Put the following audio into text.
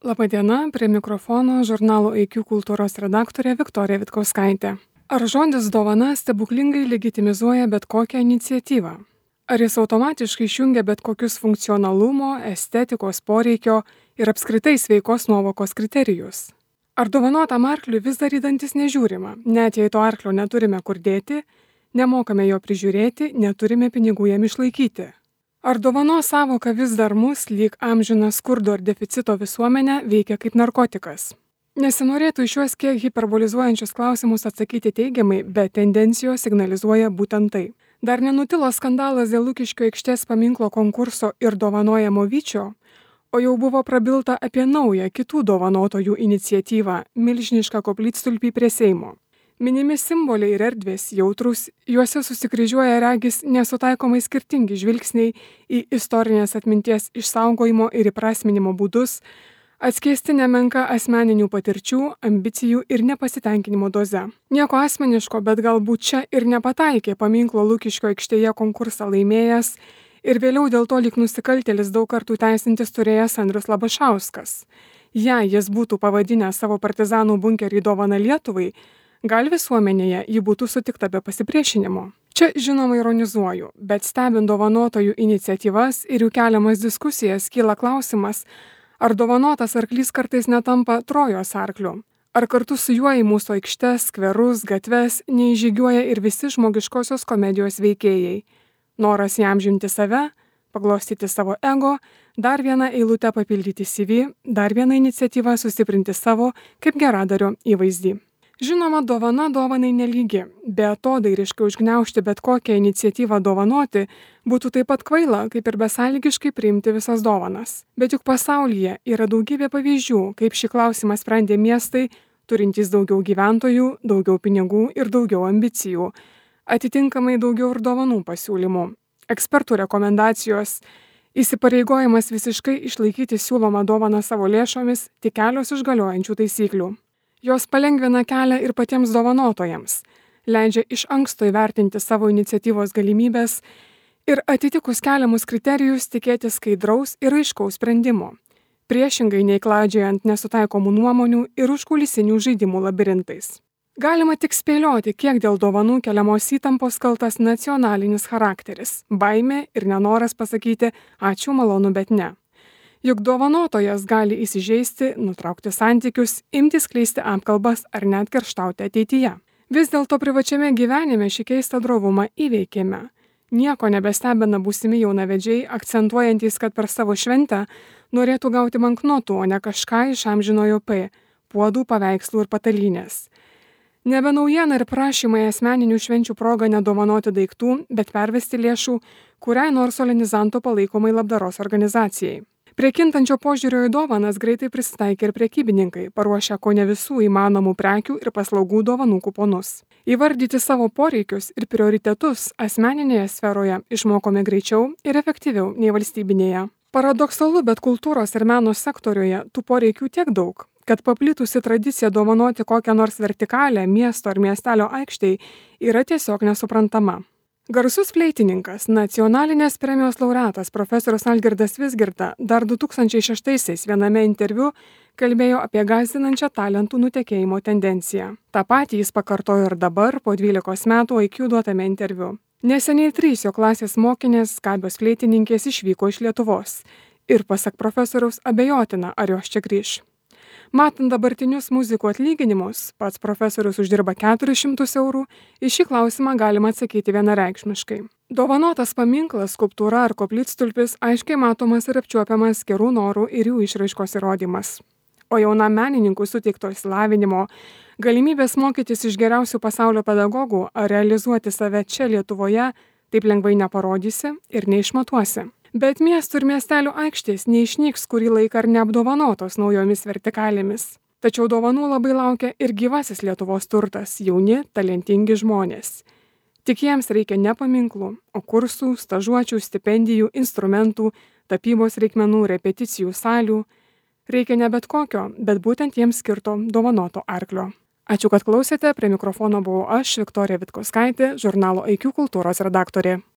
Labadiena, prie mikrofono žurnalo IQ kultūros redaktorė Viktorija Vitkauskaitė. Ar žodis dovana stebuklingai legitimizuoja bet kokią iniciatyvą? Ar jis automatiškai išjungia bet kokius funkcionalumo, estetikos poreikio ir apskritai sveikos nuovokos kriterijus? Ar dovanotam arkliui vis dar į dantis nežiūrima, net jei to arklio neturime kur dėti, nemokame jo prižiūrėti, neturime pinigų jam išlaikyti? Ar dovanos sąvoka vis dar mus, lyg amžiną skurdo ir deficito visuomenę, veikia kaip narkotikas? Nesinorėtų į šiuos kiek hiperbolizuojančius klausimus atsakyti teigiamai, bet tendencijos signalizuoja būtent tai. Dar nenutilo skandalas dėl Lukiškių aikštės paminklo konkurso ir dovanojamo vyčio, o jau buvo prabilta apie naują kitų dovanotojų iniciatyvą – milžinišką koplytstulpį prie Seimo. Minimi simboliai ir erdvės jautrus, juose susikryžiuoja regis nesutaikomai skirtingi žvilgsniai į istorinės atminties išsaugojimo ir įprasminimo būdus, atskleisti nemenka asmeninių patirčių, ambicijų ir nepasitenkinimo doze. Nieko asmeniško, bet galbūt čia ir nepataikė paminklo Lukiškio aikštėje konkursą laimėjęs ir vėliau dėl to lyg nusikaltėlis daug kartų teisintis turėjęs Andrius Labašauskas. Jei jis būtų pavadinęs savo partizanų bunkerį dovaną Lietuvai, gal visuomenėje ji būtų sutikta be pasipriešinimo. Čia žinoma ironizuoju, bet stebint dovanotojų iniciatyvas ir jų keliamas diskusijas kyla klausimas, ar dovanotas arklys kartais netampa Trojos arkliu, ar kartu su juo į mūsų aikštes, skverus, gatves neįžygiuoja ir visi žmogiškosios komedijos veikėjai. Noras įamžinti save, paglostyti savo ego, dar vieną eilutę papildyti CV, dar vieną iniciatyvą sustiprinti savo kaip geradario įvaizdį. Žinoma, dovana dovanai nelygi, be atodairiškai užgniaužti bet kokią iniciatyvą dovanoti būtų taip pat kvaila, kaip ir besąlygiškai priimti visas dovanas. Bet juk pasaulyje yra daugybė pavyzdžių, kaip šį klausimą sprendė miestai, turintys daugiau gyventojų, daugiau pinigų ir daugiau ambicijų, atitinkamai daugiau ir dovanų pasiūlymų. Ekspertų rekomendacijos, įsipareigojimas visiškai išlaikyti siūlomą dovaną savo lėšomis, tik kelios iš galiojančių taisyklių. Jos palengvina kelią ir patiems dovanotojams, leidžia iš anksto įvertinti savo iniciatyvos galimybės ir atitikus keliamus kriterijus tikėti skaidraus ir aiškaus sprendimo, priešingai nei klaidžiojant nesutaikomų nuomonių ir užkulisinių žaidimų labirintais. Galima tik spėlioti, kiek dėl dovanų keliamos įtampos kaltas nacionalinis charakteris, baimė ir nenoras pasakyti ačiū, malonu, bet ne. Juk dovanotojas gali įsižeisti, nutraukti santykius, imtis skleisti apkalbas ar net kerštauti ateityje. Vis dėlto privačiame gyvenime šį keistą drovumą įveikėme. Nieko nebestebina būsimi jaunavedžiai, akcentuojantys, kad per savo šventę norėtų gauti banknotų, o ne kažką iš amžinojo P – puodų, paveikslų ir patalynės. Nebe naujiena ir prašymai asmeninių švenčių proga nedovanoti daiktų, bet pervesti lėšų kuriai nors solenizanto palaikomai labdaros organizacijai. Prie kintančio požiūrio į dovanas greitai prisitaikė ir prekybininkai, paruošę kone visų įmanomų prekių ir paslaugų dovanų kuponus. Įvardyti savo poreikius ir prioritetus asmeninėje sferoje išmokome greičiau ir efektyviau nei valstybinėje. Paradoksalu, bet kultūros ir meno sektoriuje tų poreikių tiek daug, kad paplitusi tradicija dovanoti kokią nors vertikalę miesto ar miestelio aikštei yra tiesiog nesuprantama. Garsus fleitininkas, nacionalinės premijos laureatas profesorius Algirdas Vizgirda dar 2006-aisiais viename interviu kalbėjo apie gąsdinančią talentų nutekėjimo tendenciją. Ta patį jis pakartojo ir dabar, po 12 metų IQ duotame interviu. Neseniai 3 jo klasės mokinės, gabios fleitininkės išvyko iš Lietuvos ir pasak profesoriaus abejotina, ar jos čia grįš. Matant dabartinius muzikų atlyginimus, pats profesorius uždirba 400 eurų, į šį klausimą galima atsakyti vienareikšmiškai. Dovanotas paminklas, skulptūra ar koplytstulpis aiškiai matomas ir apčiuopiamas gerų norų ir jų išraiškos įrodymas. O jaunam menininkui suteikto išsilavinimo, galimybės mokytis iš geriausių pasaulio pedagogų ar realizuoti save čia Lietuvoje taip lengvai neparodysi ir neišmatuosi. Bet miestų ir miestelių aikštės neišnyks kurį laiką ar neapdovanotos naujomis vertikalėmis. Tačiau dovanų labai laukia ir gyvasis Lietuvos turtas – jauni, talentingi žmonės. Tik jiems reikia ne paminklų, o kursų, stažuočių, stipendijų, instrumentų, tapybos reikmenų, repeticijų salių. Reikia ne bet kokio, bet būtent jiems skirto dovanoto arklio. Ačiū, kad klausėte, prie mikrofono buvau aš, Viktorija Vitkauskaitė, žurnalo IQ kultūros redaktorė.